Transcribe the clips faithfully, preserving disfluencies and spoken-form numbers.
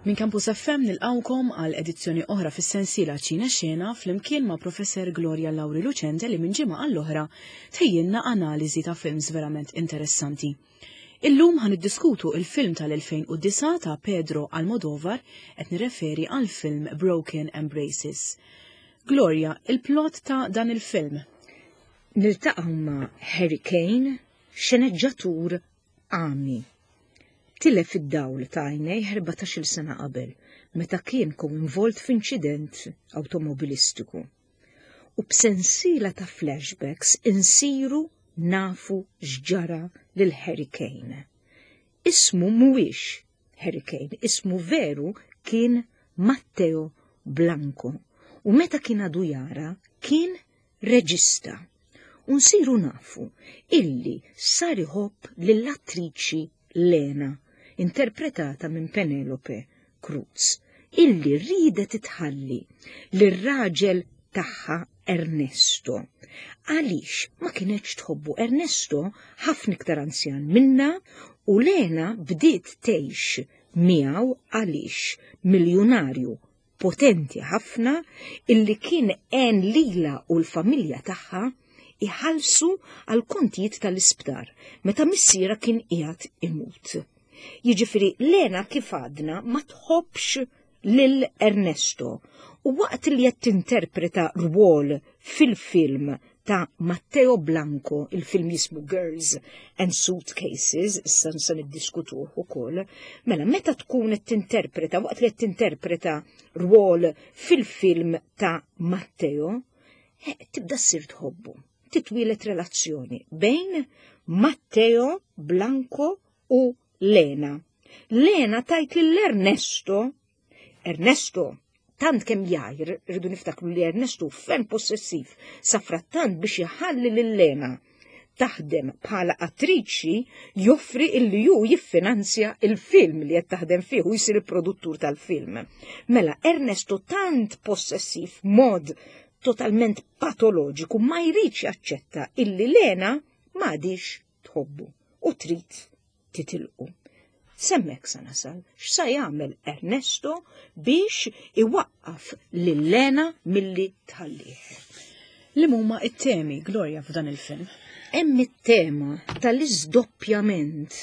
Minn Campus F M nilqawkom għal edizzjoni oħra fis-sensiela Ċina Xena flimkien ma' Professor Gloria Lauri Lucente, li minn ġimgħa għall-oħra tħejjilna analiżi ta' films verament interessanti. Illum ħa niddiskutu il-film tal-elfejn u disgħa ta' Pedro Almodovar, qed nirreferi għal film Broken Embraces. Gloria, il-plot ta' dan il-film. Niltaqgħu ma' Harry Kane, xeneġġatur għami. Tilef id-dawl ta' għajnejh erbatax-il sena qabel, meta kien koinvolt f'inċident automobilistiku. U b'sensiela ta' flashbacks insiru nafu x'ġara lil Harry Kane. Ismu mhuwiex Harry Kane, ismu veru kien Matteo Blanco. U meta kien għadu jara, kien reġista. U nsiru nafu illi sar iħobb lill-attriċi Lena, interpretata minn Penelope Cruz, illi ridet tħalli lir-raġel tagħha Ernesto. Għaliex ma kienx tħobbu? Ernesto ħafna iktar anzjan minna u Lena bdiet tgħix miegħu għaliex miljonarju potenti ħafna illi kien għen lila u l-familja tagħha iħallsu għal kontijiet tal-isptar meta missiera kien qiegħed imut. Jiġifieri Lena, kif għadna, ma tħobbx lil Ernesto u waqt li qed tinterpreta rwol fil-film ta' Matteo Blanco, il-film jismu Girls and Suitcases, issa nsa niddiskutuh ukoll, mela meta tkun qed tinterpreta, waqt li qed tinterpreta rwol fil-film ta' Matteo, eh, tibda ssir tħobbu. Titwieled relazzjoni bejn Matteo Blanco u Lena. Lena tgħid lil Ernesto, Ernesto, tant kemm jgħir, rridu niftakru li Ernesto ferm possessiv, safrattant biex jħalli lil Lena taħdem bħala attriċi joffri illi ju jiffinanzja il-film li qed taħdem fih u jsir il-produttur tal-film. Mela Ernesto, tant possessiv, mod totalment patoloġiku, ma jridx jaċċetta illi Lena m'għadhiex tħobbu u trid titilqu. S'hemmhekk sa nasal, x'sa jagħmel Ernesto biex iwaqqaf lil Lena milli tħallih? Li huma it-temi, Gloria, f'dan il-film? Hemm it-tema tal-iżdoppjament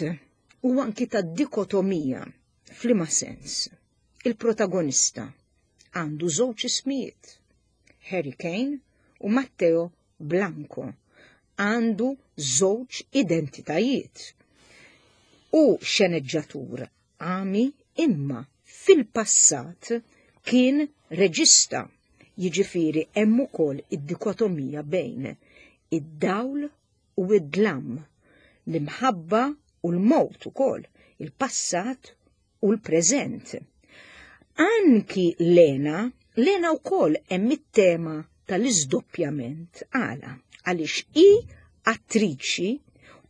u anki tad-dikotomija. F'liema sens? Il-protagonista għandu żewġ ismijiet, Harry Kane u Matteo Blanco. Għandu żewġ identitajiet. U xeneġġatur għami, imma fil-passat kien reġista. Jiġifieri hemm ukoll id-dikotomija bejn id-dawl u id-dlam, l-imħabba u l-mowt ukoll, il-passat u l-preżent. Anki Lena, Lena wkoll hemm it-tema tal-iżdoppjament. Għala? Għaliex hi attriċi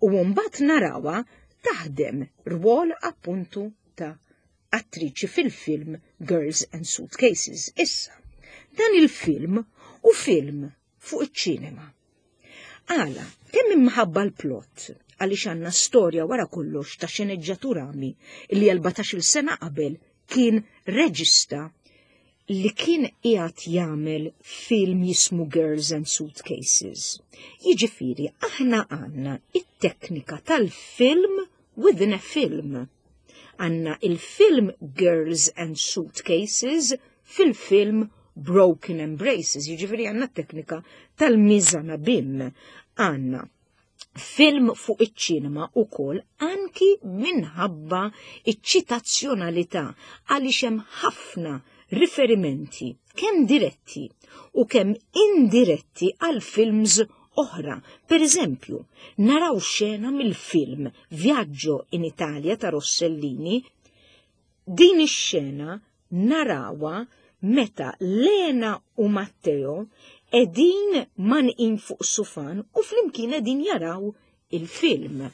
u mbagħad narawha taħdem rwol appuntu ta' attriċi fil-film Girls and Suitcases. Issa, dan il-film hu film fuq iċ-ċinema. Għala, kemm imħabba l-plot, għaliex għandna storja wara kollox ta' xeneġġatur għami li erbatax-il sena qabel kien reġista li kien qiegħed jagħmel film jismu Girls and Suitcases. Jiġifieri aħna għandna it-teknika tal-film within a film. Għandna il-film Girls and Suitcases fil-film Broken Embraces, jiġifieri għandna teknika tal-mise en abyme. Għandna film fuq iċ-ċinema ukoll anki minħabba iċ-ċitazzjonalità, għaliex hemm ħafna riferimenti kemm diretti u kemm indiretti għal films oħra. Per eżempju, naraw xena mill-film Viaggio in Italia ta' Rossellini. Din ix-xena narawha meta Lena u Matteo qegħdin mgħannqin fuq sufan u flimkien qegħdin jaraw il-film.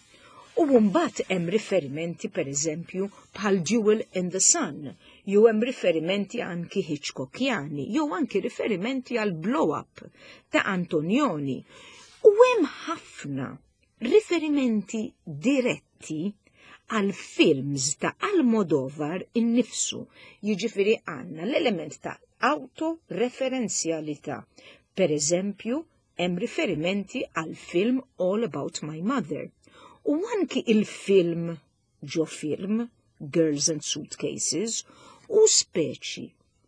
U mbagħad hemm riferimenti, per eżempju, bħal Jewel in the Sun, jew hemm riferimenti anki Hitchcockjani, jew anki riferimenti għal Blow Up ta' Antonioni. U hemm ħafna riferimenti diretti għal films ta' Almodovar innifsu. Jiġifieri għandna l-element ta' autoreferenzjalità. Per eżempju, hemm riferimenti għal film All About My Mother. U anki il-film ġo film Girls and Suitcases u speċi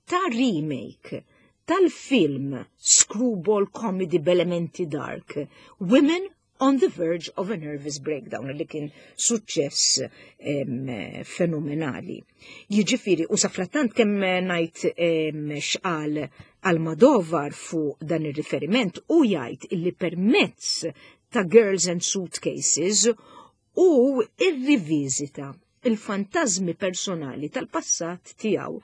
ta' remake tal-film screwball comedy b'elementi dark Women on the Verge of a Nervous Breakdown, li kien suċċess fenomenali. Jiġifieri, u safrattant kemm ngħid x'qal Almodovar fuq dan ir-riferiment, u jgħid illi permezz ta' Girls and Suitcases u irriviżita il-fantażmi personali tal-passat tiegħu,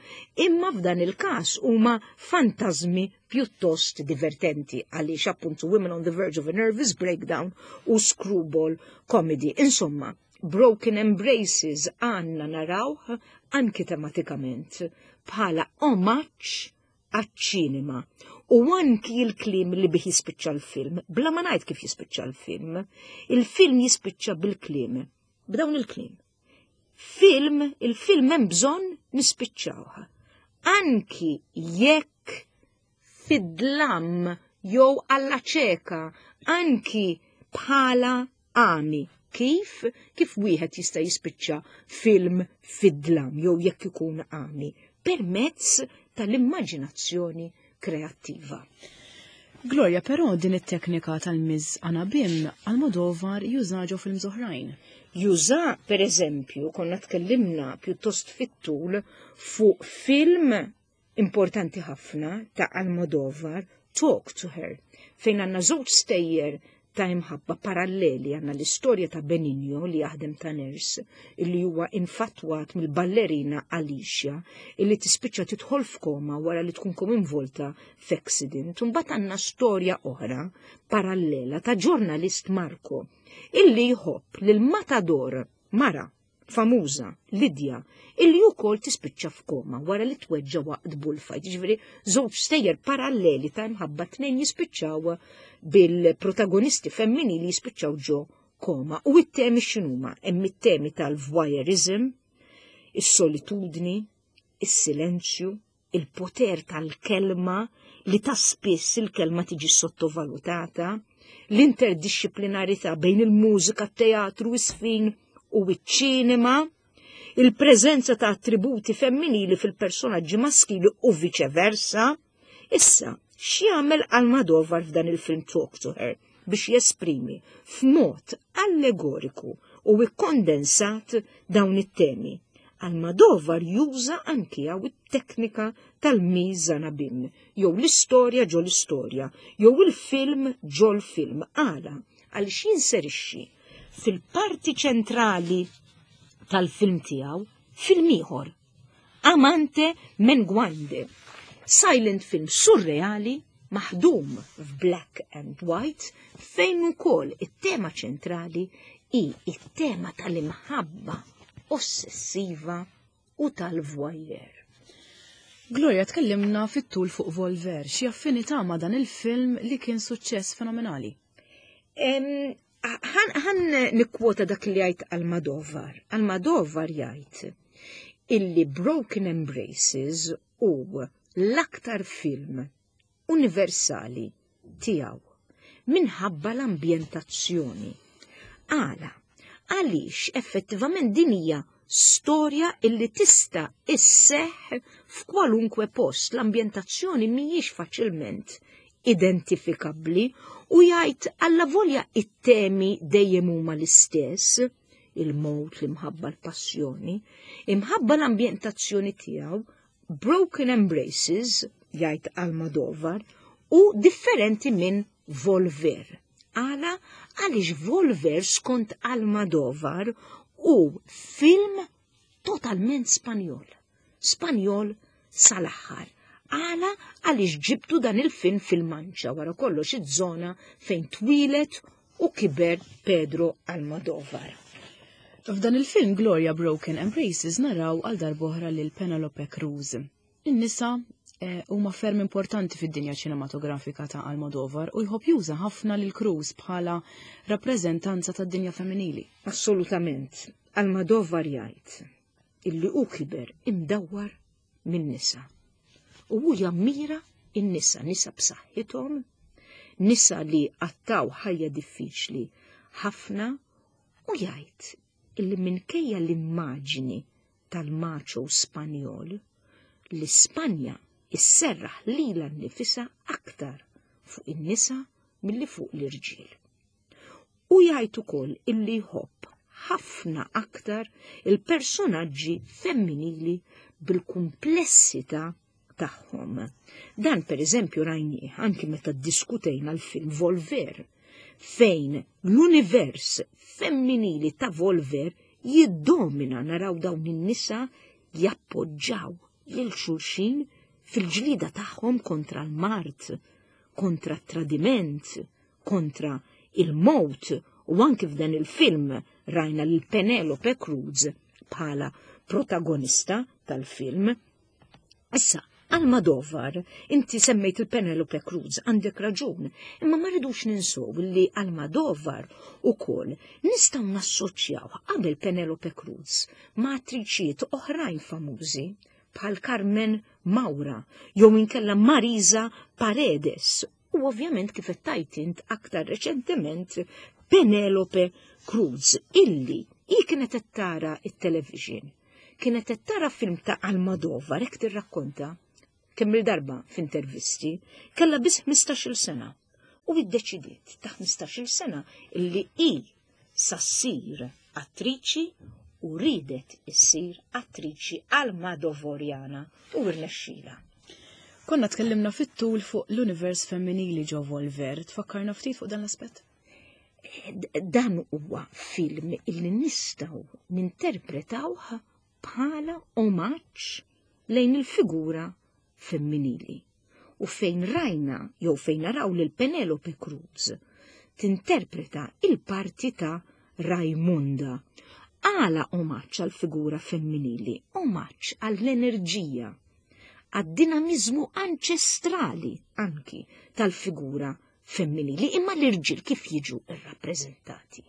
imma f'dan il-każ huma fantażmi pjuttost divertenti għaliex appuntu Women on the Verge of a Nervous Breakdown u screwball comedy. Insomma, Broken Embraces għandna narawh anki tematikament bħala omaġġ għaċ-ċinema. U anki il-kliem li bih jispiċċa l-film, bla ma ngħid kif jispiċċa l-film, il-film jispiċċa bil-kliem, b'dawn il-kliem: "Film, il-film hemm bżonn nispiċċawha. Anki jekk fid-dlam jew alla ċeka, anki bħala għami." Kif? Kif wieħed jista' jispiċċa film fid-dlam jew jekk ikun għami? Permezz tal-immaġinazzjoni kreattiva. Gloria, però din it-teknika tal-mise en abyme Almodovar juża ġo films oħrajn. Juża, per eżempju, konna tkellimna pjuttost fit-tul fuq film importanti ħafna ta' Almodovar, Talk to Her, fejn għandna żewġ stejjer ta' imħabba paralleli. Għandna l-istorja ta' Benigno li jaħdem ta' nurse, illi huwa infatwat mill-ballerina Alicia, illi tispiċċa tidħol f'koma wara li tkun involta f'accident. Mbagħad għandna storja oħra parallela ta' ġurnalist Marco illi jħobb lil matador mara famuża Lidja, illi wkoll tispiċċa f'koma wara li tweġġa waqt bullfight. Ġifieri żewġ stejjer paralleli ta' imħabba, tnejn jispiċċaw bil-protagonisti femminili jispiċċaw ġo koma. U it-temi x'inhuma? Hemm it-temi tal-voyeurism, is-solitudni, is-silenzju, il-poter tal-kelma, li ta' spiss il-kelma tiġi sottovalutata, l-interdisciplinarità bejn il-mużika, teatru, is-żfin u iċ-ċinema, il-preżenza ta' attributi femminili fil-personaġġi maskili u viċeversa. Issa, x'jagħmel Almodovar f'dan il-film Talk to Her biex jesprimi f'mod allegoriku u ikkondensat dawn it-temi? Almodovar juża anki hawn it-teknika tal-mise en abyme, jew l-istorja ġo l-istorja, jew il-film ġo l-film. Għala? Għaliex jinserixxi fil-parti ċentrali tal-film tiegħu film ieħor, Amante Menguante, silent film surreali maħdum f'black and white, fejn ukoll it-tema ċentrali hi it-tema tal-imħabba ossessiva u tal-voyeur. Gloria, tkellimna fit-tul fuq Volver, xi affinità ma' dan il-film li kien suċċess fenomenali? Ħa nikkwota dak li jgħid Almodovar. Almodovar jgħid illi Broken Embraces hu l-aktar film universali tiegħu minħabba l-ambjentazzjoni. Għala? Għaliex effettivament din hija storja illi tista' isseħ f'kwalunkwe post. L-ambjentazzjoni mhijiex faċilment identifikabbli u jgħid alla volja it-temi dejjem huma l-istess, il-mowt, l-imħabba, l-passjoni, imħabba l-ambjentazzjoni tiegħu, Broken Embraces, jgħid Almodovar, hu differenti minn Volver. Għala? Għaliex Volver, skont Almodovar, hu film totalment Spanjol. Spanjol sal-aħħar. Għala? Għaliex ġibtu dan il-film fil-Manċa, wara kollox iż-żona fejn twieled u kiber Pedro Almodovar. F'dan il-film, Gloria, Broken Embraces, naraw għal darb'oħra lil Penelope Cruz. In-nisa eh, huma ferm importanti fid-dinja ċinematografika ta' Almodovar u jħobb juża ħafna lil Cruz bħala rappreżentanza tad-dinja femminili. Assolutament. Almodovar jgħid illi hu kiber imdawwar minn nisa. U hu jammira in-nisa, nisa b'saħħithom, nisa li qattaw ħajja diffiċli ħafna, u jgħid illi minkejja l-immaġini tal-macho Spanjol, li Spanja isserraħ lilha nnifisha aktar fuq in-nisa milli fuq l-irġiel. U jgħid ukoll illi jħobb ħafna aktar il-personaġġi femminili bil-kumplessità tagħhom. Dan per eżempju rajnieh anki meta ddiskutejna l-film Volver, fejn l-univers femminili ta' Volver jiddomina, naraw dawn in-nisa jappoġġaw lil xulxin fil-ġlida tagħhom kontra l-mart, kontra t-tradiment, kontra il-mowt, u anki f'dan il-film rajna lil Penelope Cruz bħala protagonista tal-film. Issa, Almodovar, inti semmejt il-Penelope Cruz, għandek raġun, imma ma rridux ninsow li Almodovar ukoll nistgħu nassoċjaw qabel Penelope Cruz ma' attriċijiet oħrajn famużi bħal Carmen Maura jew inkella Marisa Paredes, u ovvjament kif qed tgħid int aktar reċentement Penelope Cruz, illi hi kienet qed tara it-television, kienet qed tara film ta' Almodovar, hekk tirrakkonta kemm il-darba f'intervisti, kellha biss ħmistax-il sena u iddeċidiet ta' ħmistax-il sena illi hi sa ssir attriċi u ridet issir attriċi Almodovarjana u rnexxila. Konna tkellimna fit-tul fuq l-univers femminili ġo Volver, tfakkarna ftit fuq dan l-aspett? Dan huwa film illi nistgħu ninterpretawh bħala omaġġ lejn il-figura femminili, u fejn rajna jew fejn naraw lil Penelope Cruz tinterpreta il-parti ta' Raimunda. Għala omaġġ għal figura femminili, omaġġ għall-enerġija, għad-dinamizmu anċestrali anki tal-figura femminili. Imma l-irġiel kif jiġu rrappreżentati?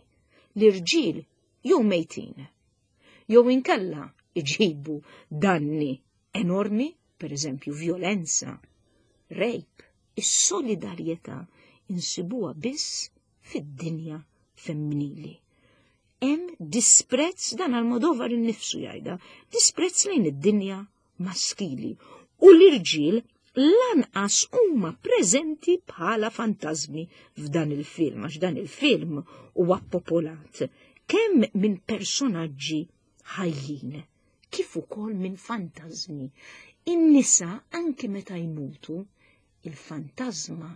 L-irġiel jew mejtin, jew inkella iġibu danni enormi, per eżempju violenza, rape. Is-solidarjetà insibuha biss fid-dinja femminili. Hemm disprezz, dan Almodovar innifsu jgħidha, disprezz lejn id-dinja maskili, u l-irġiel lanqas huma preżenti bħala fantasmi f'dan il-film, għax dan il-film huwa popolat kemm minn personaġġi ħajjin kif ukoll minn fantasmi. In-nisa anki meta jmutu, il-fantasma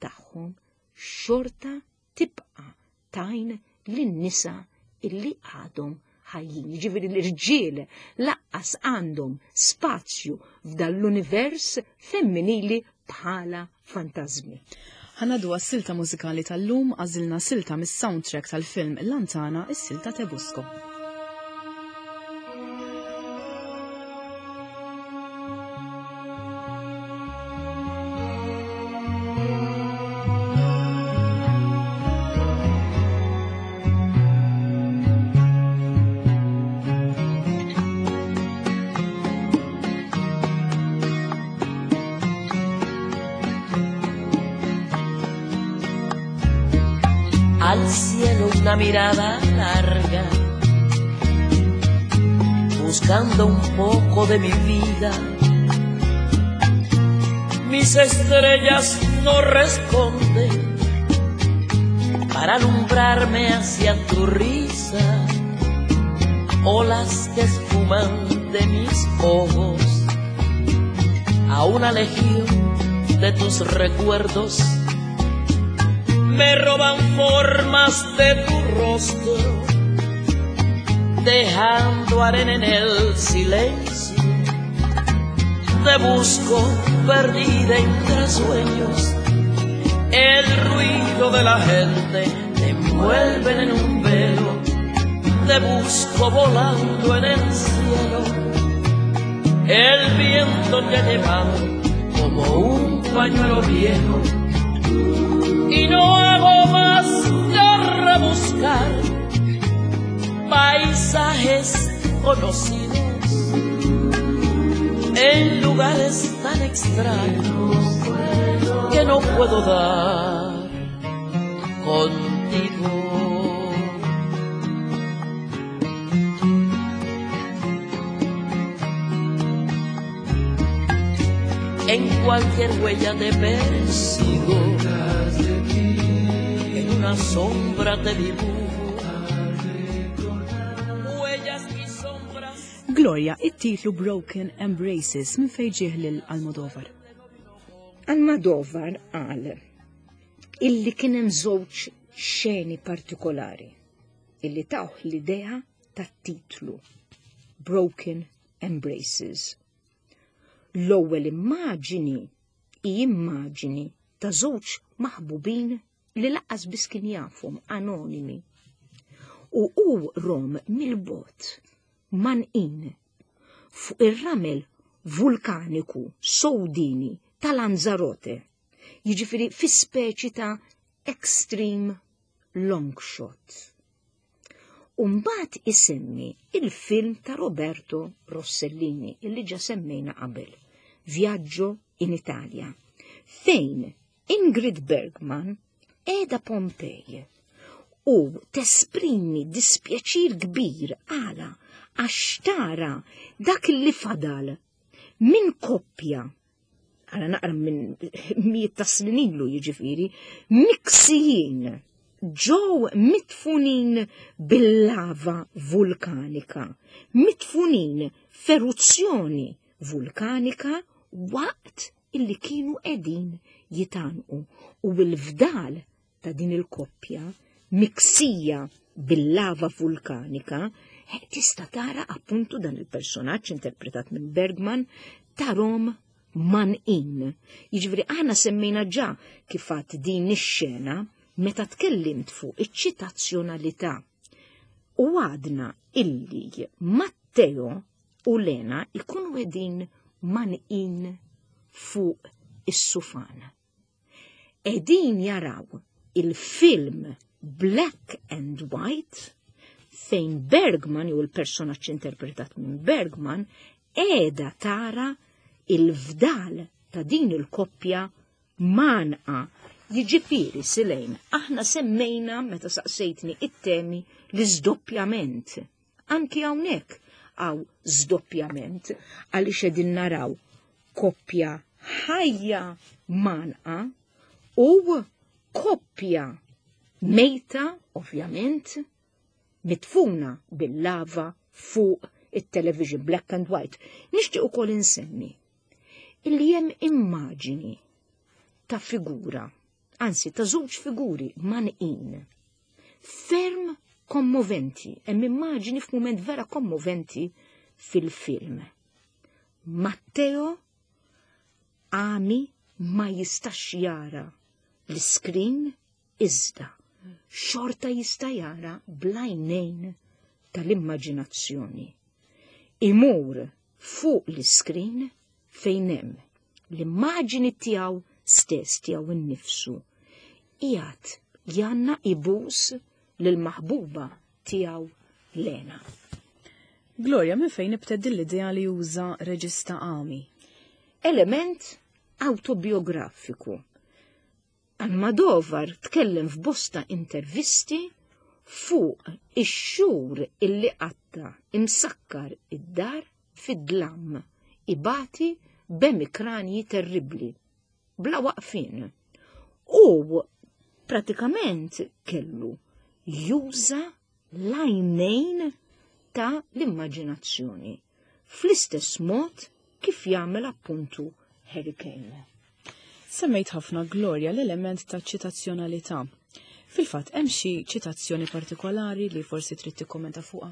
tagħhom xorta tibqa' tajn lin-nisa illi għadhom ħajjin. Jiġifieri l-irġiel laqqas għandhom spazju f'dan l-univers femminili bħala fantasmi. Ħanadu għas-silta mużikali tal-lum, għażilna silta mis-soundtrack tal-film Lantana, is-silta Te Busco. Al cielo una mirada larga, buscando un poco de mi vida. Mis estrellas no responden para alumbrarme hacia tu risa. Olas que esfuman de mis ojos a una legión de tus recuerdos. Me roban formas de tu rostro, dejando arena en el silencio. Te busco perdida entre sueños, el ruido de la gente te envuelve en un velo. Te busco volando en el cielo, el viento te ha llevado como un pañuelo viejo. Y no hago más que rebuscar Paisajes conocidos en lugares tan extraños que no puedo dar contigo. En cualquier huella te persigo, en una sombra te dibujo. Gloria, it-titlu Broken Embraces minn fejn ġieħ lil Almodovar? Almodovar qal illi kien hemm żewġ xeni partikolari illi tawh l-idea tat-titlu Broken Embraces. L-ewwel immaġini hi immaġini ta' żewġ maħbubin li lanqas biss kien jafhom, anonimi. U hu rom mill-bogħod manqin fuq ir-ramel vulkaniku sowdini ta' Lanzarote, jiġifieri fi speċi ta' extreme long shot. U mbagħad isemmi il-film ta' Roberto Rossellini, illi ġa semmejna qabel, Viaggio in Italia, fejn Ingrid Bergman qiegħda Pompej u tesprimi dispjaċir kbir għala għax tara dak li fadal minn koppja, għala naqra minn mijiet ta' snin ilu jiġifieri, miksijin ġew mitfunin bil-lava vulkanika, mitfunin f'eruzzjoni vulkanika waqt illi kienu qegħdin jitanqu, u l-fdal ta' din il-koppja miksija bil-lava vulkanika tista' tara appuntu dan il-personaġġ interpretat minn Bergman tarom manqin. Jiġifieri aħna semmejna ġa kif għad din ix-xena meta tkellimt fuq iċ-ċitazzjonalità u għadna illi Matteo u Lena ikunu qegħdin manqin fuq is-sufan. Qegħdin jaraw il-film black and white fejn Bergman, jew il-personaġġ interpretat minn Bergman, qiegħda tara il-fdal ta' din il-koppja manqa. Jiġifieri Silejn, aħna semmejna meta saqsejtni it-temi l-iżdoppjament. Anki hawnhekk hawn żdoppjament għaliex qegħdin naraw koppja ħajja manqa u koppja mejta, ovvjament, mitfuna bil-lava fuq it-television black and white. Nixtieq ukoll insemmi illi hemm immaġini ta' figura, anzi ta' żewġ figuri manqin, ferm kommoventi, hemm immaġini f'mument vera kommoventi fil-film. Matteo għami ma jistax jara l-iskrin iżda xorta jista' jara blajnejn tal-immaġinazzjoni. Imur fuq l-iskrin fejn hemm l-immaġini tiegħu stess, tiegħu innifsu, qiegħed janna ibus lill-maħbuba tiegħu Lena. Gloria, minn fejn ibteddi l-idea li juża reġista għami? Element autobiografiku. Almodovar tkellem f'bosta intervisti fuq ix-xhur illi qatta imsakkar id-dar fid-dlam, ibati b'emikranji terribbli, bla waqfin. U pratikament kellu juża l-għajnejn ta' l-immaġinazzjoni, fl-istess mod kif jagħmel appuntu Harry Kane. Semmejt ħafna, Gloria, l-element ta' ċitazzjonalità. Fil-fatt, hemm xi ċitazzjoni partikolari li forsi trid tikkommenta fuqha?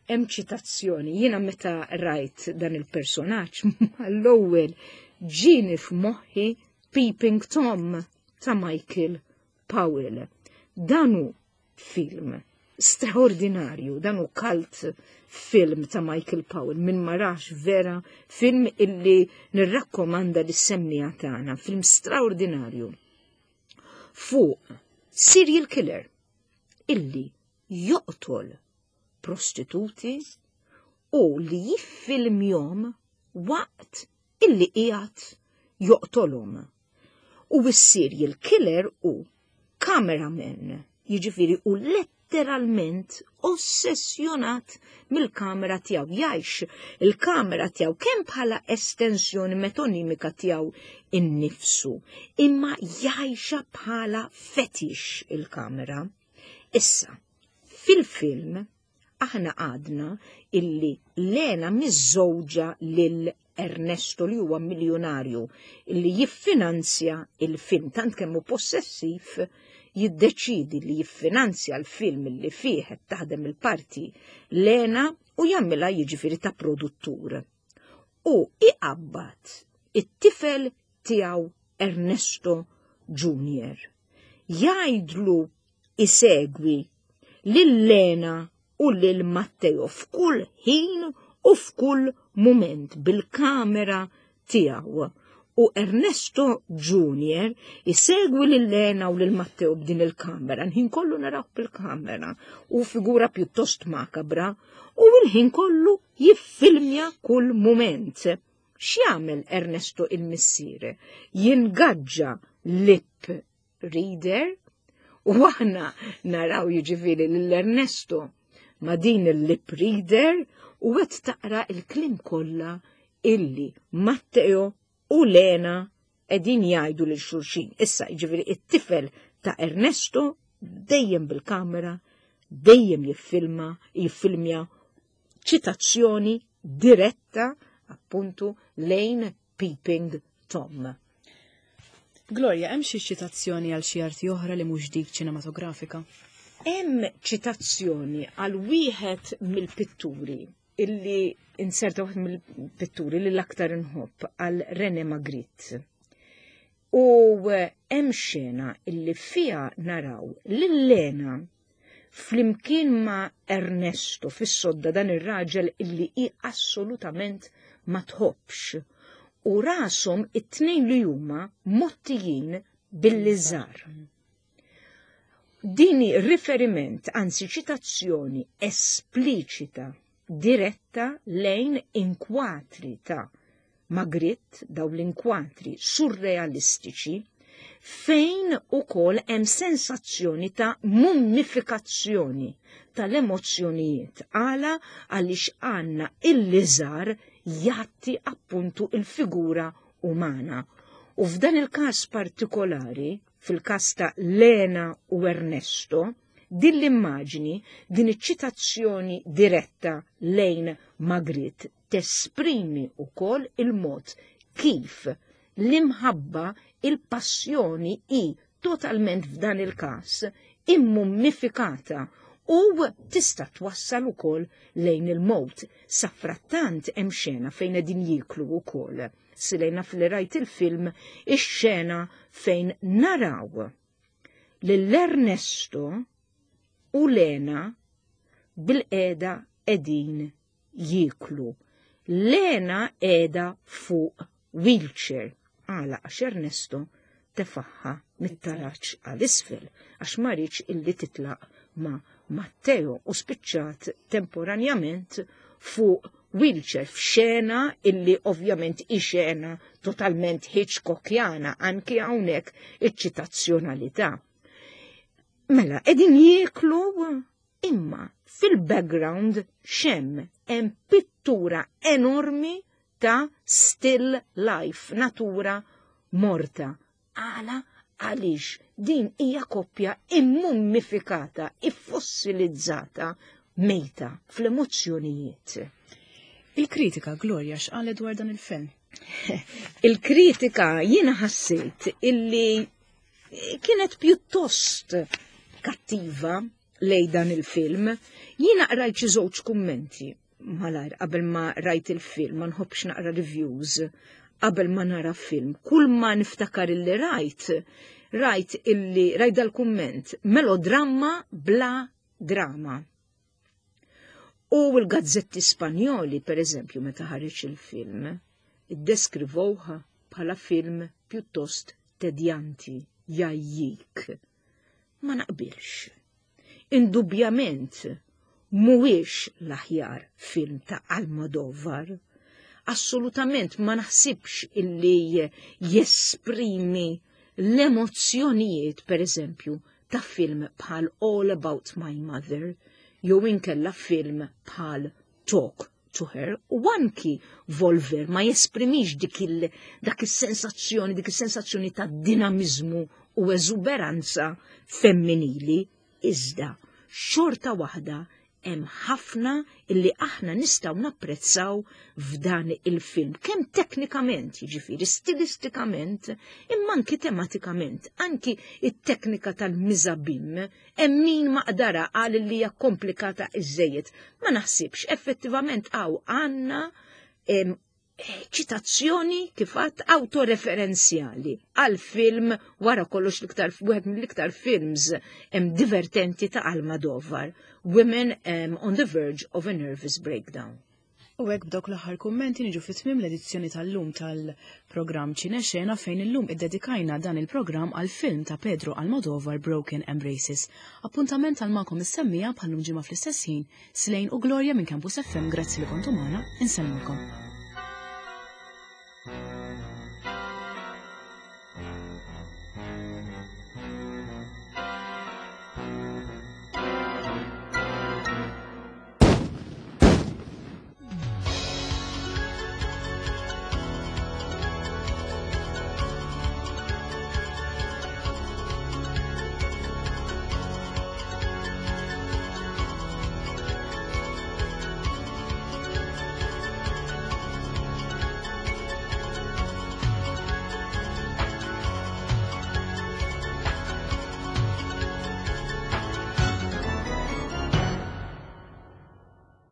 Hemm ċitazzjoni. Jiena meta rajt dan il-personaġġ mal-ewwel ġieni f'moħħi Peeping Tom ta' Michael Powell. Dan hu film straordinarju, dan hu cult film ta' Michael Powell, min ma rax vera film illi nirrakkomanda li semmija tagħna, film straordinarju. Fuq serial killer illi joqtol prostituti u li jiffilmjom waqt illi qiegħed joqtolhom. U s-serial killer u cameraman, jiġifieri u letteralment ossessjonat mill-kamera tiegħu, jgħix il-kamera tiegħu kemm bħala estensjoni metonimika tiegħu innifsu, imma jgħixha bħala fetish il-kamera. Issa, fil-film aħna għadna illi Lena miżżewġa lil Ernesto li huwa miljonarju illi jiffinanzja il-film, tant kemm hu possessiv jiddeċidi li jiffinanzja l-film li fih qed taħdem il-parti Lena u jagħmilha jiġifieri ta' produttur. U iqabbad it-tifel tiegħu Ernesto Junior. Jgħidlu isegwi lil Lena u lil Matteo f'kull ħin u f'kull mument bil-kamera tiegħu. U Ernesto Junior isegwi lil Lena u lil Matteo b'din il-kamera, l-ħin kollu naraw bil-kamera u figura pjuttost makabra u l-ħin kollu jiffilmja kull mument. X'jagħmel Ernesto il-missier? Jingaġġa lip reader u aħna naraw jiġifieri lil Ernesto ma' din il-lip reader u qed taqra il-kliem kollha illi Matteo u Lena qegħdin jgħidu lil xulxin. Issa jiġifieri it-tifel ta' Ernesto dejjem bil-kamera, dejjem jiffilma, jiffilmja ċitazzjoni diretta appuntu lejn Peeping Tom. Gloria, hemm xi ċitazzjoni għal xi arti oħra li mhux dik ċinematografika? Hemm ċitazzjoni għal wieħed mill-pitturi illi inserta wieħed mill-pitturi li l-aktar inħobb, għal René Magritte. U hemm xena illi fiha naraw lil Lena flimkien ma' Ernesto fis-sodda, dan ir-raġel illi hi assolutament ma tħobbx, u rashom it-tnejn li huma mgħottijin bil-liżar. Dini riferiment, anzi ċitazzjoni espliċita, diretta lejn inkwatri ta' Magritte, daw l-inkwatri surrealistiċi, fejn ukoll hemm sensazzjoni ta' mummifikazzjoni tal-emozzjonijiet. Għala? Għaliex għandna il-liżar jgħatti appuntu il-figura umana. U f'dan il-każ partikolari, fil-każ ta' Lena u Ernesto, din l-immaġni, din iċ-ċitazzjoni diretta lejn Magritte tesprimi wkoll il-mod kif l-imħabba, il-passjoni hi totalment f'dan il-każ immummifikata u tista' twassal ukoll lejn il-mowt. Safrattant hemm xena fejn qegħdin jieklu wkoll. Silejna fil rajt il-film ix-xena fejn naraw lil Ernesto u Lena bil-qeda qegħdin jieklu. Lena qiegħda fuq wheelchair. Għala? Għax Ernesto tefaħħa mit-taraċ għal isfel għax ma riedx illi titlaq ma' Matteo u spiċċat temporanjament fuq wheelchair f'xena illi ovvjament i xena totalment Hitchcockjana, anki hawnhekk iċ-ċitazzjonalità. Mela, qegħdin jieklu, imma fil-background xem hemm pittura enormi ta' still life, natura morta. Għala? Għaliex din hija koppja immummifikata, iffossilizzata, mejta fl-emozzjonijiet. Il-kritika, Gloria, x'qalet dwar dan il-film? Il-kritika jiena ħassejt illi kienet pjuttost kattiva lej dan il-film. Jiena qrajt xi żewġ kummenti malajr qabel ma rajt il-film, ma nħobbx naqra reviews qabel ma nara film. Kull ma niftakar illi rajt, rajt illi rajt dal-kumment: melodramma bla drama. U l-gazzetti Spanjoli, per eżempju, meta ħareġ il-film, iddeskrivowha bħala film pjuttost tedjanti, jgħajjik. Ma naqbilx. Indubjament Mhuwiex l-aħjar film ta' Almodovar. Assolutament ma naħsibx illi jesprimi l-emozzjonijiet, per eżempju, ta' film bħal All About My Mother, jew inkella film bħal Talk to Her, u anki Volver ma jesprimix dik il dak is-sensazzjoni, dik is-sensazzjoni ta' dinamizmu u eżuberanza femminili, iżda xorta waħda hemm ħafna illi aħna nistgħu napprezzaw f'dan il-film, kemm teknikament, jiġifieri stilistikament, imma anki tematikament, anki it-teknika tal-mise-abyme, hemm min maqdara qal li hija komplikata iżejjed. Ma naħsibx, effettivament hawn għandna ċitazzjoni kif għedt autoreferenzjali għal film wara kollox l-iktar wieħed mill-iktar films em, divertenti ta' Almodovar, Women um, on the Verge of a Nervous Breakdown. U hekk b'dawk l-aħħar kummenti niġu fi tmiem l-edizzjoni tal-lum tal-programm Ċinexena, fejn illum iddedikajna dan il-programm għal film ta' Pedro Almodovar, Broken Embraces. Appuntament għal magħkom is-semmiegħa bħal-lum ġimgħa fl-istess ħin, Slejn u Gloria minn Campus F M, grazzi li kontu magħna, insellmilkom.